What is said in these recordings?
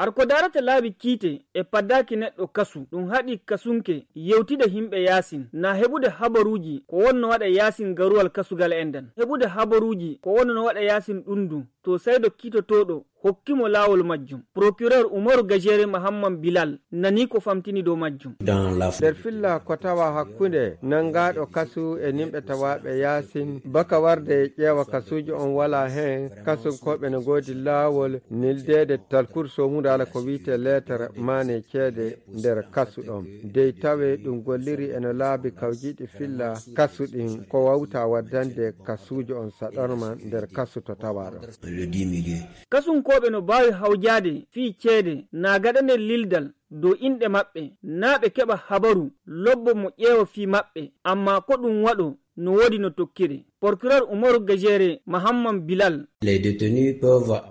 arko darata laabi kiite e paddaki neɗɗo kasu ɗum haɗi kasunke yewtide himɓe yasin na heɓude habaruji ko wonno waɗa yasin garuwal kasugal e nden heɓude habaruji ko wonno waɗa yasin ɗundu to saydo kiitotoɗo hokkimo laawol majjum. Procureur Umaru Gajere Mahamman Bilal nani ko famtini dow majjum. nder filla ko tawa hakkunde nangaɗo kasu e nimɓe tawaɓe yasin baka warde ƴeewa kasuji on wala hen kasunkoɓe ne goodi laawol nildede talkur somude ala ko wiite lettere mane ceede nder kasu ɗon dey tawe ɗum golliri ene laabi kawjiɗi filla kasu ɗin ko wawta waddande kasuji on saɗorma nder kasu to tawaɗo. Kasunkoɓe no mbawi hawjade fii ceede na gaɗane lildal dow inɗe maɓɓe na ɓe keɓa habaru lobbo mo ƴeewa fii maɓɓe amma ko ɗum waɗo no woodi no tokkiri. Procureur Umaru Gajere Mahamman Bilal.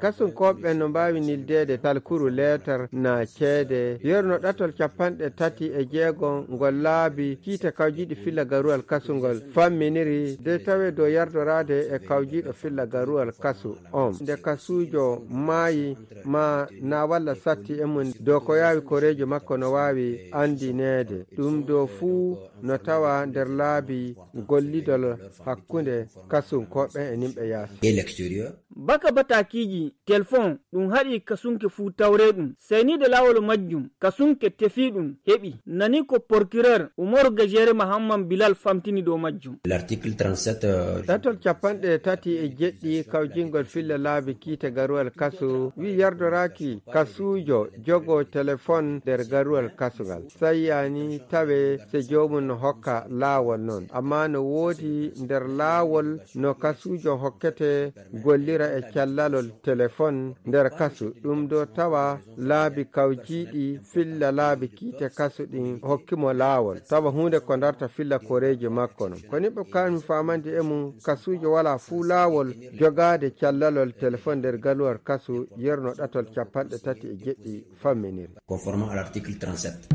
Kasunkoɓe no mbawi nildede talkuru letter na ceede yerno ɗatol 36 ngol laabi kiite kawjiɗi filla garuwal kasungol famminiri de tawe dow yardorade e kawjiɗo filla garuwal kasu on nde kasujo maayi ma na walla satti e mum dow ko yawi korejo makko no wawi andinede ɗum dow fuu no tawa nder laabi gollidol hakkunde kasunkoɓe e nimɓe yaasi. Baka batakiji telefon ɗum haɗi kasunke fuu tawre ɗum saynide laawol majjum kasunke tefi ɗum heɓi nani ko procureur Umaru Gajere Mahamman Bilal famtini dow majjum. L'article 37 ɗatol 37 kawjingol filla laabi kiite garuwal kasu wi yardoraki kasujo jogo telefon nder garuwal kasugal sayyani tawe se jomum no hokka laawol non amma no woodi nder laawol no kasujo hokkete gollira e callalol telefon nder kasu ɗum do tawa laabi kawjiɗi filla laabi kiite kasu ɗin hokkimo laawol tawa hunde ko darta filla koreji makko non ko niɓe kami famande e mum kasujo wala fuu laawol jogade callalol telefon nder galuwar kasu yerno ɗatol 37 famminiri conformément à l'article 37.